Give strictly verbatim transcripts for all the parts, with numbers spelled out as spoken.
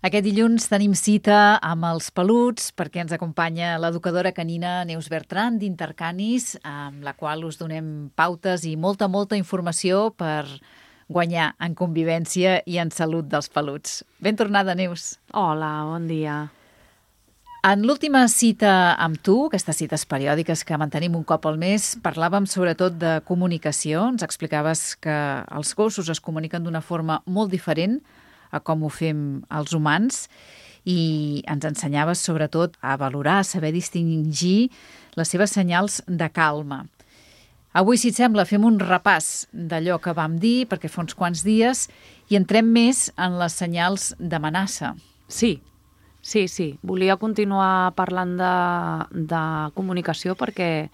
Aquest dilluns tenim cita amb els peluts perquè ens acompanya l'educadora canina Neus Bertran d'Intercanis, amb la qual us donem pautes i molta, molta informació per guanyar en convivència i en salut dels peluts. Ben tornada, Neus. Hola, bon dia. En l'última cita amb tu, aquestes cites periòdiques que mantenim un cop al mes, parlàvem sobretot de comunicació. Ens explicaves que els gossos es comuniquen d'una forma molt diferent a com ho fem els humans i ens ensenyaves sobretot a valorar, a saber distingir les seves senyals de calma. Avui, si et sembla, fem un repàs d'allò que vam dir, perquè fa uns quants dies, i entrem més en les senyals d'amenaça. Sí, sí, sí. Volia continuar parlant de, de comunicació perquè,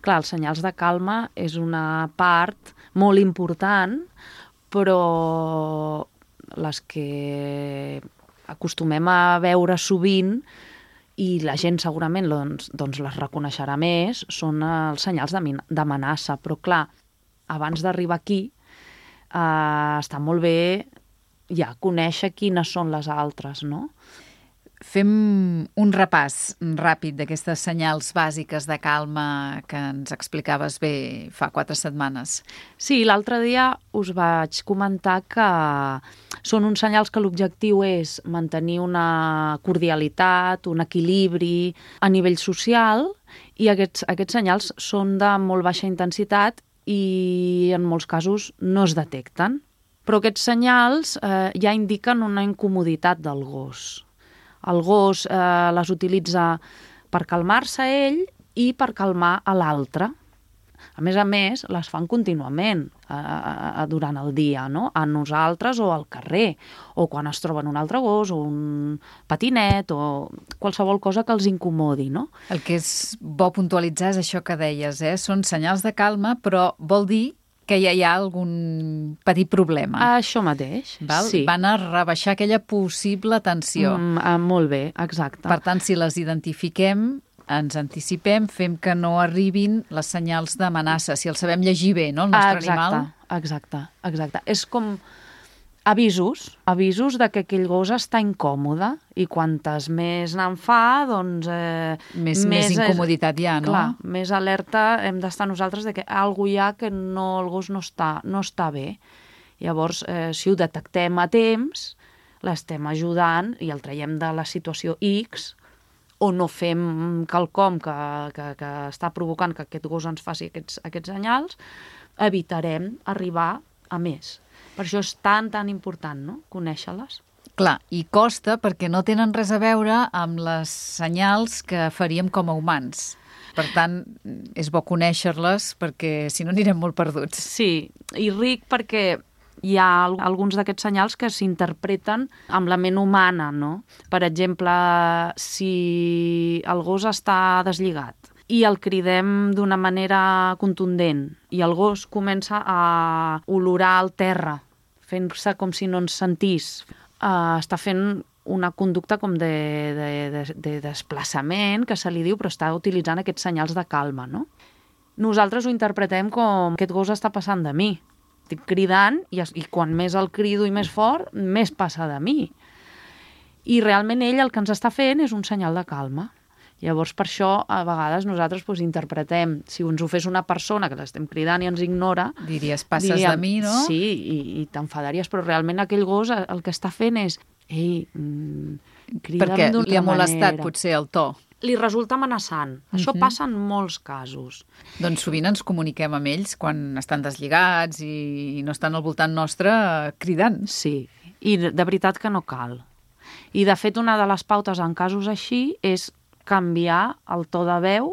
clar, els senyals de calma és una part molt important, però les que acostumem a veure sovint i la gent segurament doncs, doncs les reconeixerà més, són els senyals d'amenaça. Però clar, abans d'arribar aquí eh, està molt bé ja conèixer quines són les altres, no? Fem un repàs ràpid d'aquestes senyals bàsiques de calma que ens explicaves bé fa quatre setmanes. Sí, l'altre dia us vaig comentar que són uns senyals que l'objectiu és mantenir una cordialitat, un equilibri a nivell social, i aquests, aquests senyals són de molt baixa intensitat i en molts casos no es detecten. Però aquests senyals eh, ja indiquen una incomoditat del gos. El gos eh, les utilitza per calmar-se ell i per calmar a l'altre. A més a més, les fan contínuament eh, durant el dia, no? A nosaltres o al carrer, o quan es troben un altre gos o un patinet o qualsevol cosa que els incomodi, no? El que és bo puntualitzar és això que deies, eh? Són senyals de calma, però vol dir que ja hi ha algun petit problema. Això mateix, val? Sí. Van a rebaixar aquella possible tensió. Mm, eh, molt bé, exacte. Per tant, si les identifiquem, ens anticipem, fem que no arribin les senyals d'amenaça. Si el sabem llegir bé, no?, el nostre exacte, animal. Exacte, exacte. És com avisos, avisos de que aquell gos està incòmode, i quantes més n'en fa, doncs Eh, més, més incomoditat hi ha, no? Clar, més alerta hem d'estar nosaltres de que alguna hi ha que no, el gos no està, no està bé. Llavors, eh, si ho detectem a temps, l'estem ajudant i el traiem de la situació X, o no fem quelcom que, que, que està provocant que aquest gos ens faci aquests, aquests senyals, evitarem arribar a més. Per això és tan, tan important, no?, conèixer-les. Clar, i costa perquè no tenen res a veure amb les senyals que faríem com a humans. Per tant, és bo conèixer-les perquè si no anirem molt perduts. Sí, i ric perquè hi ha alguns d'aquests senyals que s'interpreten amb la ment humana, no? Per exemple, si el gos està deslligat i el cridem d'una manera contundent i el gos comença a olorar el terra, fent-se com si no ens sentís, uh, està fent una conducta com de, de, de, de desplaçament, que se li diu, però està utilitzant aquests senyals de calma, no? Nosaltres ho interpretem com aquest gos està passant de mi. Estic cridant i, i quan més el crido i més fort, més passa de mi. I realment ell el que ens està fent és un senyal de calma. Llavors, per això, a vegades nosaltres doncs, interpretem, si ens ho fes una persona que l'estem cridant i ens ignora... Diries, passes diríem, de mi, no? Sí, i, i t'enfadaries, però realment aquell gos el que està fent és... Ei, mm, crida'm perquè d'una li ha molestat manera. potser el to. Li resulta amenaçant. Això Uh-huh. passa en molts casos. Doncs sovint ens comuniquem amb ells quan estan deslligats i no estan al voltant nostre cridant. Sí, i de, de veritat que no cal. I de fet una de les pautes en casos així és canviar el to de veu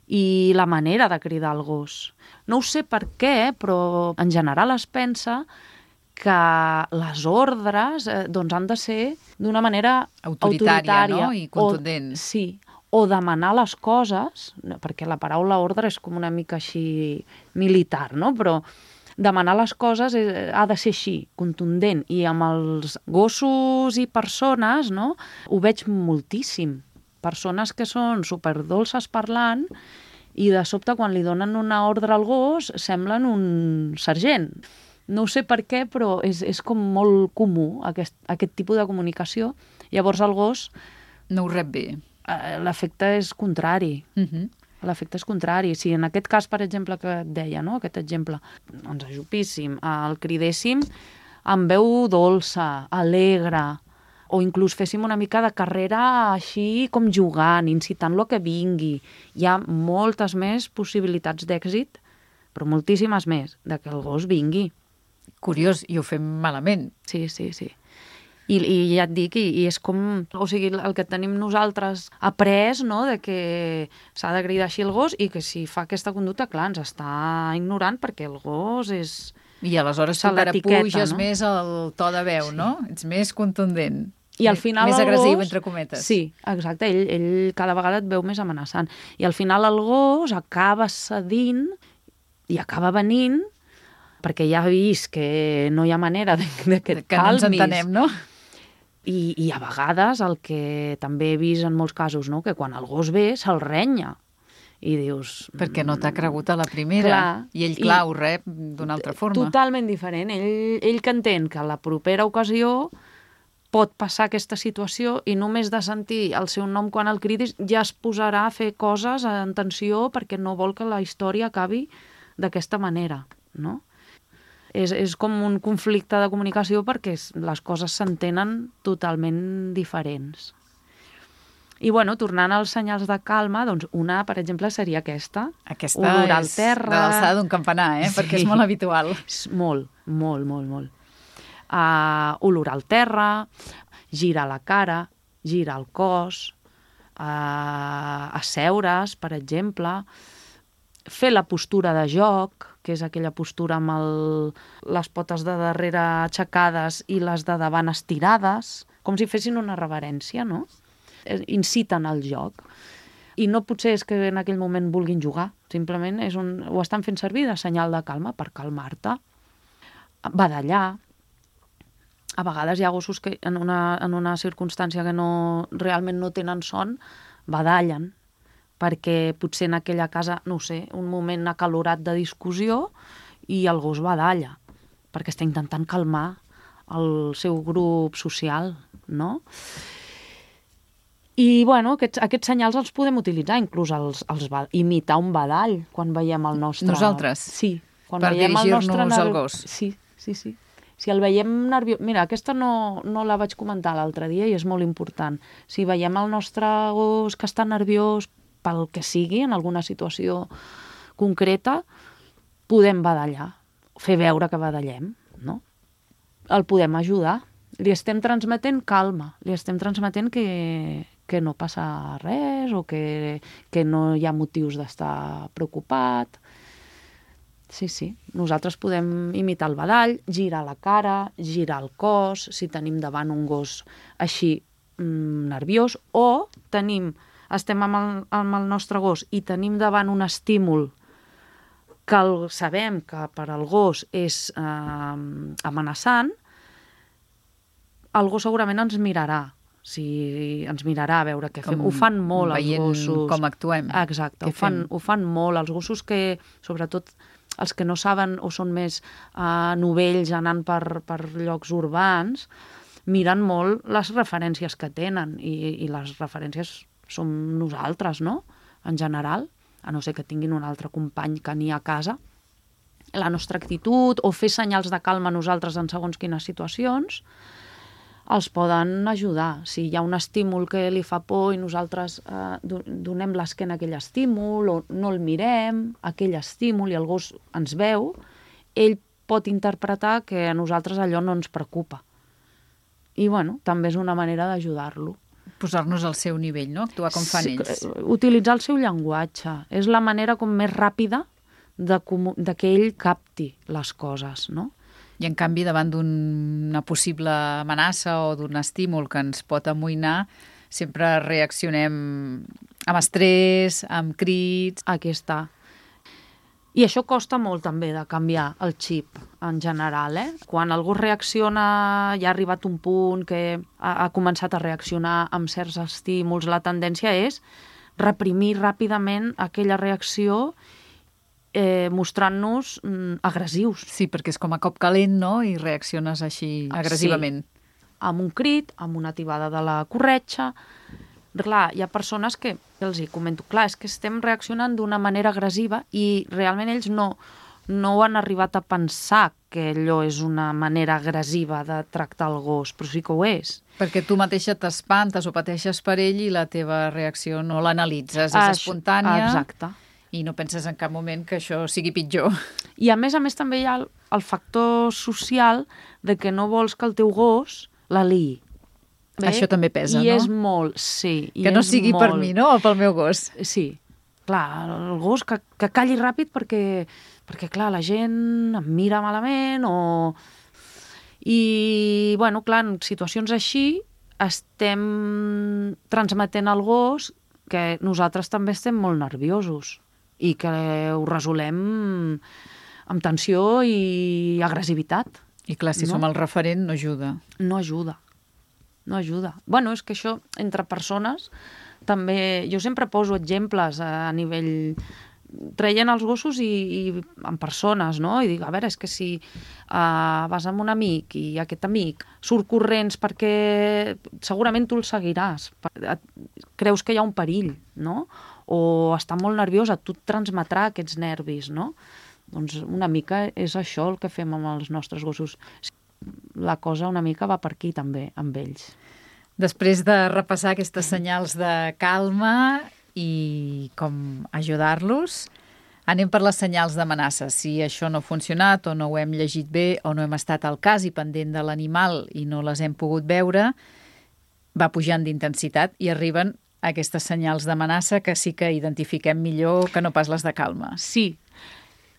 i la manera de cridar el gos. No ho sé per què, però en general es pensa que les ordres eh, doncs han de ser d'una manera Autoritària, autoritària, no? I contundent. O, sí, o demanar les coses, perquè la paraula ordre és com una mica així militar, no? Però demanar les coses eh, ha de ser així, contundent. I amb els gossos i persones, no?, ho veig moltíssim. Persones que són superdolces parlant i de sobte quan li donen una ordre al gos semblen un sergent. No ho sé per què, però és, és com molt comú aquest, aquest tipus de comunicació. Llavors el gos... No ho rep bé. L'efecte és contrari. Uh -huh. L'efecte és contrari. Si en aquest cas, per exemple, que et deia, no? Aquest exemple, ens ajupíssim, el cridéssim amb veu dolça, alegre, o inclús féssim una mica de carrera així com jugant, incitant-lo a que vingui. Hi ha moltes més possibilitats d'èxit, però moltíssimes més, de que el gos vingui. Curiós, i ho fem malament. Sí, sí, sí. I, i ja et dic, i, i és com... O sigui, el que tenim nosaltres après, no?, de que s'ha de cridar així el gos i que si fa aquesta conducta, clar, ens està ignorant perquè el gos és... I aleshores tu encara puges no? més el to de veu, sí. no? Ets més contundent. I al final més el agressiu, gos... entre cometes. Sí, exacte. Ell, ell cada vegada et veu més amenaçant. I al final el gos acaba cedint i acaba venint perquè ja ha vist que no hi ha manera de, de que et que calmis. no ens entenem, no? I, I a vegades el que també he vist en molts casos, no?, que quan el gos ve se'l renya. I dius... Perquè no t'ha cregut a la primera. Clar, I ell, clar, i ho rep d'una altra forma. Totalment diferent. Ell, ell que entén que a la propera ocasió pot passar aquesta situació i només de sentir el seu nom quan el cridis ja es posarà a fer coses en tensió perquè no vol que la història acabi d'aquesta manera, no? És, és com un conflicte de comunicació perquè les coses s'entenen totalment diferents. I, bueno, tornant als senyals de calma, doncs una, per exemple, seria aquesta. Aquesta olorar és al terra. de l'alçada d'un campanar, eh? Sí. Perquè és molt habitual. És molt, molt, molt, molt. Uh, olorar al terra, girar la cara, girar el cos, uh, asseure's, per exemple, fer la postura de joc, que és aquella postura amb el, les potes de darrere aixecades i les de davant estirades, com si fessin una reverència, no? Inciten al joc. I no potser és que en aquell moment vulguin jugar, simplement és un, ho estan fent servir de senyal de calma per calmar-te. Badallar. A vegades hi ha gossos que en una, en una circumstància que no, realment no tenen son, badallen, perquè potser en aquella casa, no ho sé, un moment acalorat de discussió i el gos badalla, perquè està intentant calmar el seu grup social, no? I, bueno, aquests, aquests senyals els podem utilitzar, inclús els, els imitar un badall quan veiem el nostre... Nosaltres? Sí. Quan per dirigir-nos al gos? Sí, sí, sí. Si el veiem nerviós... Mira, aquesta no, no la vaig comentar l'altre dia i és molt important. Si veiem el nostre gos que està nerviós pel que sigui, en alguna situació concreta, podem badallar, fer veure que badallem, no? El podem ajudar. Li estem transmetent calma, li estem transmetent que, que no passa res o que, que no hi ha motius d'estar preocupat. Sí, sí. Nosaltres podem imitar el badall, girar la cara, girar el cos, si tenim davant un gos així mmm, nerviós, o tenim, estem amb el, amb el nostre gos i tenim davant un estímul que el, sabem que per al gos és eh, amenaçant, el gos segurament ens mirarà. Si ens mirarà a veure què fem. Ho fan molt els gossos. Com actuem. Exacte, ho fan, ho fan molt. Els gossos que, sobretot els que no saben o són més uh, novells anant per, per llocs urbans, miren molt les referències que tenen i, i les referències som nosaltres, no? En general, a no ser que tinguin un altre company que n'hi ha a casa. La nostra actitud o fer senyals de calma a nosaltres en segons quines situacions els poden ajudar. Si hi ha un estímul que li fa por i nosaltres eh, donem l'esquena a aquell estímul o no el mirem, aquell estímul, i el gos ens veu, ell pot interpretar que a nosaltres allò no ens preocupa. I, bueno, també és una manera d'ajudar-lo. Posar-nos al seu nivell, no? Actuar com fan ells. Sí, utilitzar el seu llenguatge. És la manera com més ràpida de, de que ell capti les coses, no? I, en canvi, davant d'una possible amenaça o d'un estímul que ens pot amoïnar, sempre reaccionem amb estrès, amb crits... Aquí està. I això costa molt, també, de canviar el xip, en general, eh? Quan algú reacciona, ja ha arribat un punt que ha, ha començat a reaccionar amb certs estímuls, la tendència és reprimir ràpidament aquella reacció eh, mostrant-nos mm, agressius. Sí, perquè és com a cop calent, no?, i reacciones així agressivament. Sí, amb un crit, amb una tibada de la corretxa. Clar, hi ha persones que, els hi comento, clar, és que estem reaccionant d'una manera agressiva i realment ells no, no ho han arribat a pensar que allò és una manera agressiva de tractar el gos, però sí que ho és. Perquè tu mateixa t'espantes o pateixes per ell i la teva reacció no l'analitzes, és Això, espontània. Exacte. I no penses en cap moment que això sigui pitjor. I a més a més també hi ha el, el factor social de que no vols que el teu gos l'aliï. Bé? Això també pesa, I no? és molt, sí. Que no sigui molt... per mi, no?, o pel meu gos. Sí. Clar, el gos que, que calli ràpid perquè, perquè, clar, la gent em mira malament o... I, bueno, clar, en situacions així estem transmetent al gos que nosaltres també estem molt nerviosos i que ho resolem amb tensió i agressivitat. I clar, si no? som el referent, no ajuda. No ajuda. No ajuda. Bueno, és que això, entre persones, també... Jo sempre poso exemples a nivell... traient els gossos i, i en persones, no? I dic, a veure, és que si uh, vas amb un amic i aquest amic surt corrents perquè segurament tu el seguiràs. Creus que hi ha un perill, no? O està molt nerviosa, tu et transmetrà aquests nervis, no? Doncs una mica és això el que fem amb els nostres gossos. La cosa una mica va per aquí també, amb ells. Després de repassar aquestes senyals de calma i com ajudar-los, anem per les senyals d'amenaça. Si això no ha funcionat o no ho hem llegit bé o no hem estat al cas i pendent de l'animal i no les hem pogut veure, va pujant d'intensitat i arriben aquestes senyals d'amenaça que sí que identifiquem millor que no pas les de calma. Sí.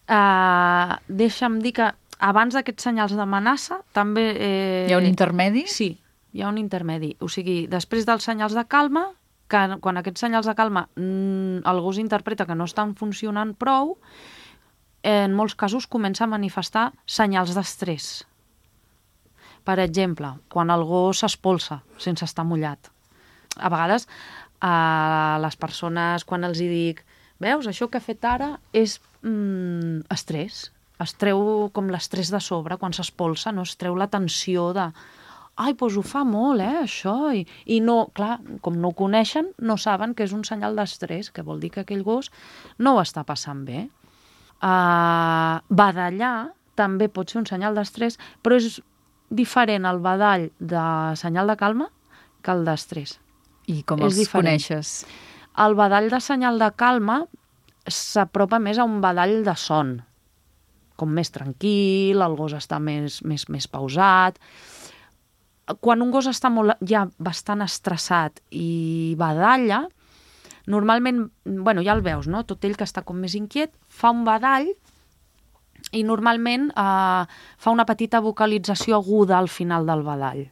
Uh, deixa'm dir que abans d'aquests senyals d'amenaça també... Eh... Hi ha un intermedi? Sí, hi ha un intermedi. O sigui, després dels senyals de calma, que quan aquests senyals de calma mm, el gos interpreta que no estan funcionant prou, en molts casos comença a manifestar senyals d'estrès. Per exemple, quan el gos s'espolsa sense estar mullat. A vegades, a les persones, quan els hi dic, veus, això que ha fet ara és mm, estrès. Es treu com l'estrès de sobre quan s'espolsa, no? Es treu la tensió de... Ai, doncs ho fa molt, eh, això. I, I no, clar, com no ho coneixen, no saben que és un senyal d'estrès, que vol dir que aquell gos no ho està passant bé. Uh, badallar també pot ser un senyal d'estrès, però és diferent el badall de senyal de calma que el d'estrès. I com els coneixes? El badall de senyal de calma s'apropa més a un badall de son, com més tranquil, el gos està més, més, més pausat. Quan un gos està molt, ja bastant estressat i badalla, normalment, bueno, ja el veus, no? Tot ell que està com més inquiet, fa un badall i normalment eh, fa una petita vocalització aguda al final del badall.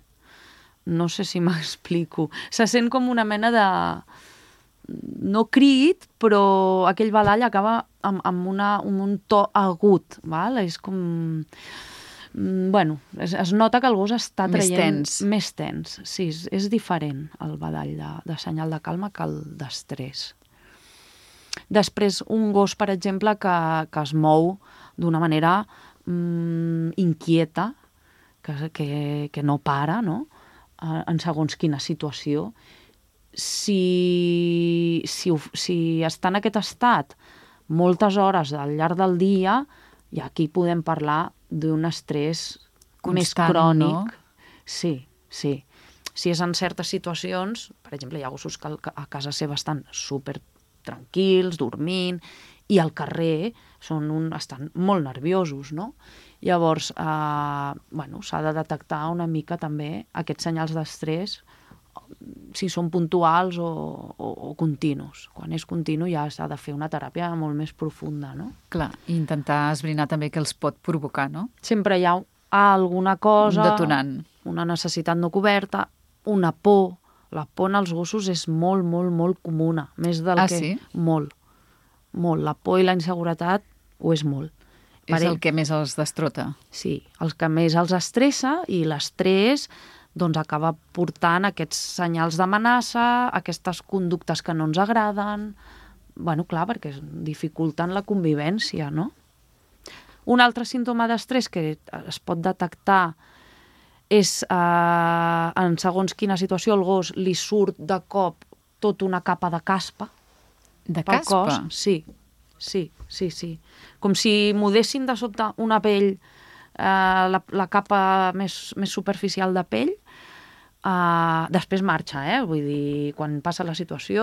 No sé si m'explico. Se sent com una mena de... no crit, però aquell badall acaba amb, amb, una, amb un to agut, val? És com... Bueno, es, es nota que el gos està traient... Més tens. Més tens, sí, és, és diferent el badall de, de senyal de calma que el d'estrès. Després, un gos, per exemple, que, que es mou d'una manera mm, inquieta, que, que, que no para, no?, en segons quina situació. Si, si, si està en aquest estat moltes hores al llarg del dia, i aquí podem parlar d'un estrès constant, més crònic. No? Sí, sí. Si és en certes situacions, per exemple, hi ha gossos que a casa seva estan super tranquils, dormint, i al carrer són un, estan molt nerviosos, no? Llavors, eh, bueno, s'ha de detectar una mica també aquests senyals d'estrès, si són puntuals o, o, o continus. Quan és continu ja s'ha de fer una teràpia molt més profunda, no? Clar, i intentar esbrinar també què els pot provocar, no? Sempre hi ha alguna cosa... Un detonant. Una necessitat no coberta, una por. La por en els gossos és molt, molt, molt comuna. Més del ah, que... sí? Molt. Molt. La por i la inseguretat ho és molt. És el que més els destrota. Sí, el que més els estressa, i l'estrès doncs acaba portant aquests senyals d'amenaça, aquestes conductes que no ens agraden, bueno, clar, perquè dificulten la convivència, no? Un altre símptoma d'estrès que es pot detectar és, eh, en segons quina situació, el gos li surt de cop tota una capa de caspa. De pel caspa? Cos. Sí, sí, sí, sí. Com si mudessin de sobte una pell, eh, la, la capa més, més superficial de pell. Uh, després marxa, eh? Vull dir, quan passa la situació,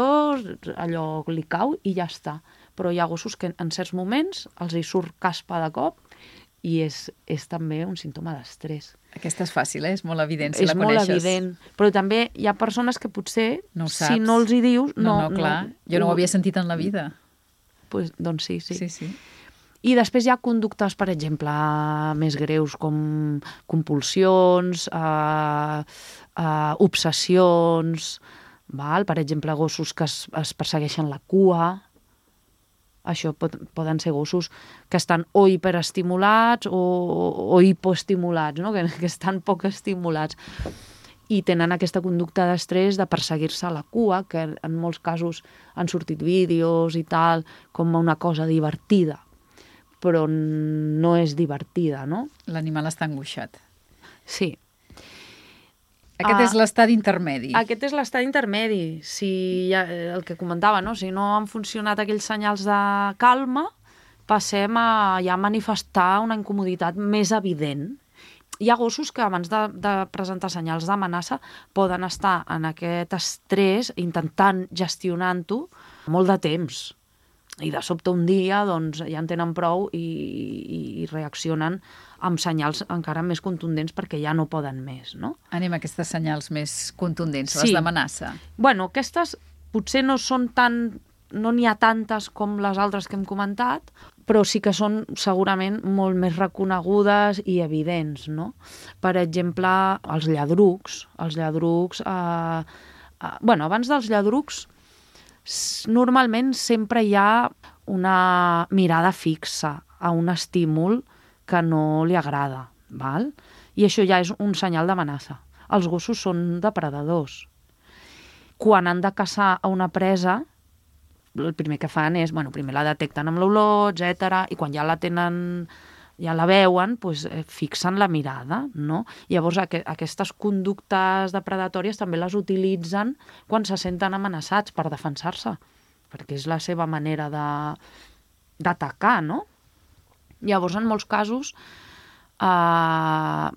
allò li cau i ja està. Però hi ha gossos que en certs moments els hi surt caspa de cop i és, és també un símptoma d'estrès. Aquesta és fàcil, eh? És molt evident, si és la coneixes. És molt evident, però també hi ha persones que potser, no si no els hi dius... No, no, no clar. No, jo no ho havia sentit en la vida. Pues, doncs sí, sí. Sí, sí. I després hi ha conductes, per exemple, més greus, com compulsions, eh, eh, obsessions, val? Per exemple, gossos que es, es persegueixen la cua. Això pot, poden ser gossos que estan o hiperestimulats o, o hipoestimulats, no? que, que estan poc estimulats. I tenen aquesta conducta d'estrès de perseguir-se a la cua, que en molts casos han sortit vídeos i tal, com una cosa divertida, però no és divertida, no? L'animal està angoixat. Sí. Aquest uh, és l'estadi intermedi. Aquest és l'estadi intermedi. Si ja, el que comentava, no? Si no han funcionat aquells senyals de calma, passem a ja manifestar una incomoditat més evident. Hi ha gossos que abans de, de presentar senyals d'amenaça poden estar en aquest estrès intentant gestionant-ho molt de temps. I de sobte un dia doncs, ja en tenen prou i, i, i reaccionen amb senyals encara més contundents perquè ja no poden més, no? Anem a aquestes senyals més contundents, sí. Les d'amenaça. Bueno, aquestes potser no són tan... no n'hi ha tantes com les altres que hem comentat, però sí que són segurament molt més reconegudes i evidents, no? Per exemple, els lladrucs. Els lladrucs... Eh, eh, bueno, abans dels lladrucs normalment sempre hi ha una mirada fixa a un estímul que no li agrada, val? I això ja és un senyal d'amenaça. Els gossos són depredadors. Quan han de caçar a una presa, el primer que fan és, bueno, primer la detecten amb l'olor, etcètera, i quan ja la tenen, ja la veuen, doncs, eh, fixen la mirada, no? Llavors, aqu aquestes conductes depredatòries també les utilitzen quan se senten amenaçats per defensar-se, perquè és la seva manera d'atacar, no? Llavors, en molts casos, eh,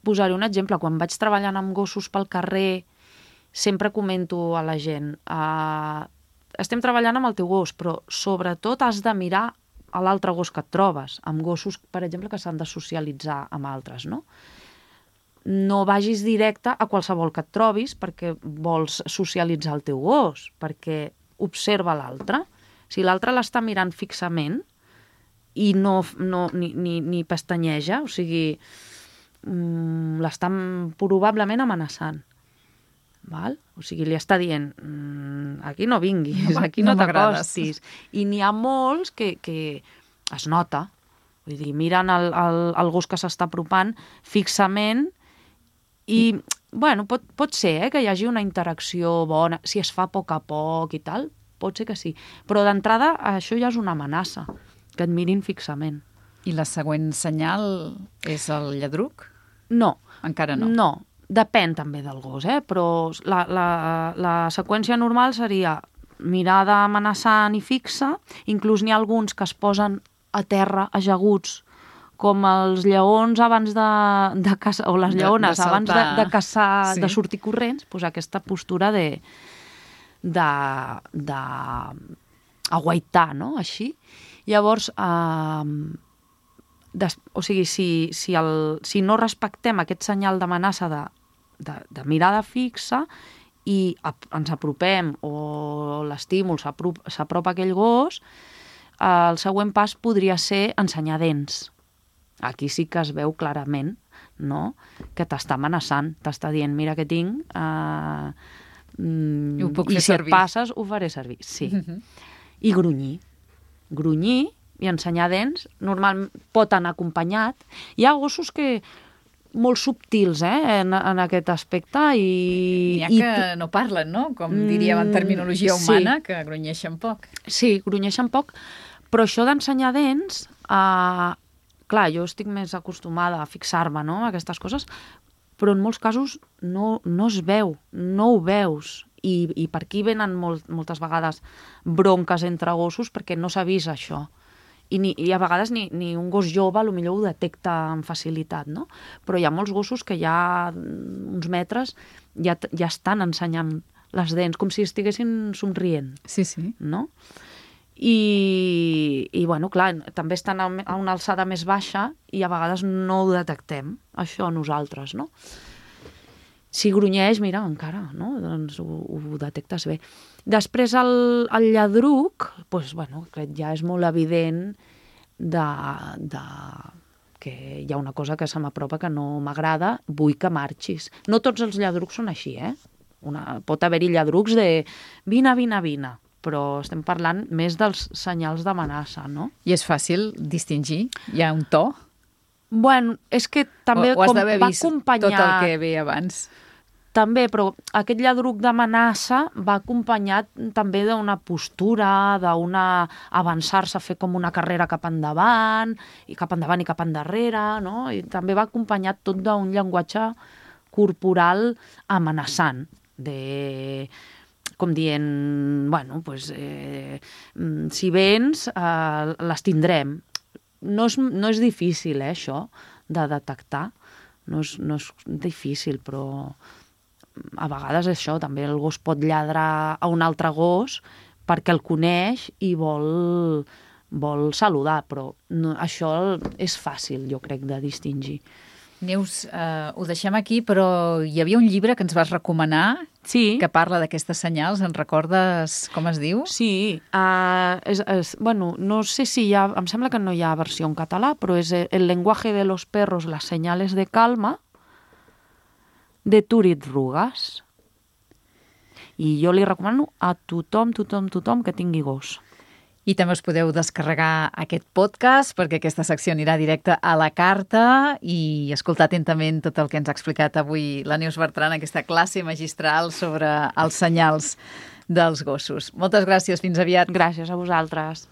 posaré un exemple. Quan vaig treballant amb gossos pel carrer, sempre comento a la gent, eh, estem treballant amb el teu gos, però sobretot has de mirar a l'altre gos que et trobes, amb gossos, per exemple, que s'han de socialitzar amb altres, no? No vagis directe a qualsevol que et trobis perquè vols socialitzar el teu gos, perquè observa l'altre. Si l'altre l'està mirant fixament i no, no, ni, ni, ni pestanyeja, o sigui, mmm, l'estan probablement amenaçant. Val? O sigui, li està dient mmm, aquí no vinguis, no, aquí no, no t'acostis. I n'hi ha molts que, que es nota. Vull dir, miren el, el, el gos que s'està apropant fixament i, bueno, pot, pot ser eh, que hi hagi una interacció bona, si es fa a poc a poc i tal, pot ser que sí. Però d'entrada això ja és una amenaça, que et mirin fixament. I la següent senyal és el lladruc? No. Encara no? No. Depèn també del gos, eh? Però la, la, la seqüència normal seria mirada amenaçant i fixa. Inclús n'hi ha alguns que es posen a terra ajaguts, com els lleons abans de, de caçar, o les lleones de, de abans de, de caçar, sí. De sortir corrents, doncs aquesta postura de, de, de aguaitar, no? Així. Llavors, eh, des, o sigui, si, si, el, si no respectem aquest senyal d'amenaça de, de, de mirada fixa i ap, ens apropem o l'estímul s'apropa a aquell gos, eh, el següent pas podria ser ensenyar dents. Aquí sí que es veu clarament, no?, que t'està amenaçant, t'està dient, mira què tinc, eh, mm, I, ho puc i fer si servir. Et passes ho faré servir. Sí. Uh-huh. I grunyir. Grunyir i ensenyar dents, normal pot anar acompanyat. Hi ha gossos que molt subtils eh, en, en aquest aspecte. I, N'hi ha i que no parlen, no? Com diríem en terminologia humana, sí. Que grunyeixen poc. Sí, grunyeixen poc, però això d'ensenyar dents, eh, clar, jo estic més acostumada a fixar-me, no?, a aquestes coses, però en molts casos no, no es veu, no ho veus. I, i per aquí venen molt, moltes vegades bronques entre gossos perquè no s'ha vist això. I, ni, i a vegades ni, ni un gos jove potser ho detecta amb facilitat, no? Però hi ha molts gossos que ja uns metres ja, ja estan ensenyant les dents, com si estiguessin somrient. Sí, sí. No? I, i bueno, clar, també estan a una alçada més baixa i a vegades no ho detectem, això nosaltres, no? Si grunyeix, mira, encara, no? Doncs ho, ho detectes bé. Després el, el lladruc, doncs, bueno, aquest ja és molt evident de, de, que hi ha una cosa que se m'apropa que no m'agrada, vull que marxis. No tots els lladrucs són així, eh? Una, pot haver-hi lladrucs de vine, vine, vine, però estem parlant més dels senyals d'amenaça, no? I és fàcil distingir? Hi ha un to? Bueno, és que també o, o com va acompanyar... tot el que ve abans? També, però aquest lladruc d'amenaça va acompanyat també d'una postura, d'una avançar-se a fer com una carrera cap endavant, i cap endavant i cap endarrere, no? I també va acompanyat tot d'un llenguatge corporal amenaçant, de... com dient, bueno, pues, eh, si vens, eh, les tindrem. No és, no és difícil, eh, això, de detectar. No és, no és difícil, però a vegades això, també el gos pot lladrar a un altre gos perquè el coneix i vol, vol saludar, però no, això és fàcil, jo crec, de distingir. Neus, eh, ho deixem aquí, però hi havia un llibre que ens vas recomanar sí. que parla d'aquestes senyals. En recordes com es diu? Sí. Uh, és, és, bueno, no sé si hi ha... Em sembla que no hi ha versió en català, però és El lenguaje de los perros, las señales de calma, de Turit Rugas. I jo li recomano a tothom, tothom, tothom que tingui gos. I també us podeu descarregar aquest podcast perquè aquesta secció anirà directe a la carta i escoltar atentament tot el que ens ha explicat avui la Neus Bertran, aquesta classe magistral sobre els senyals dels gossos. Moltes gràcies, fins aviat. Gràcies a vosaltres.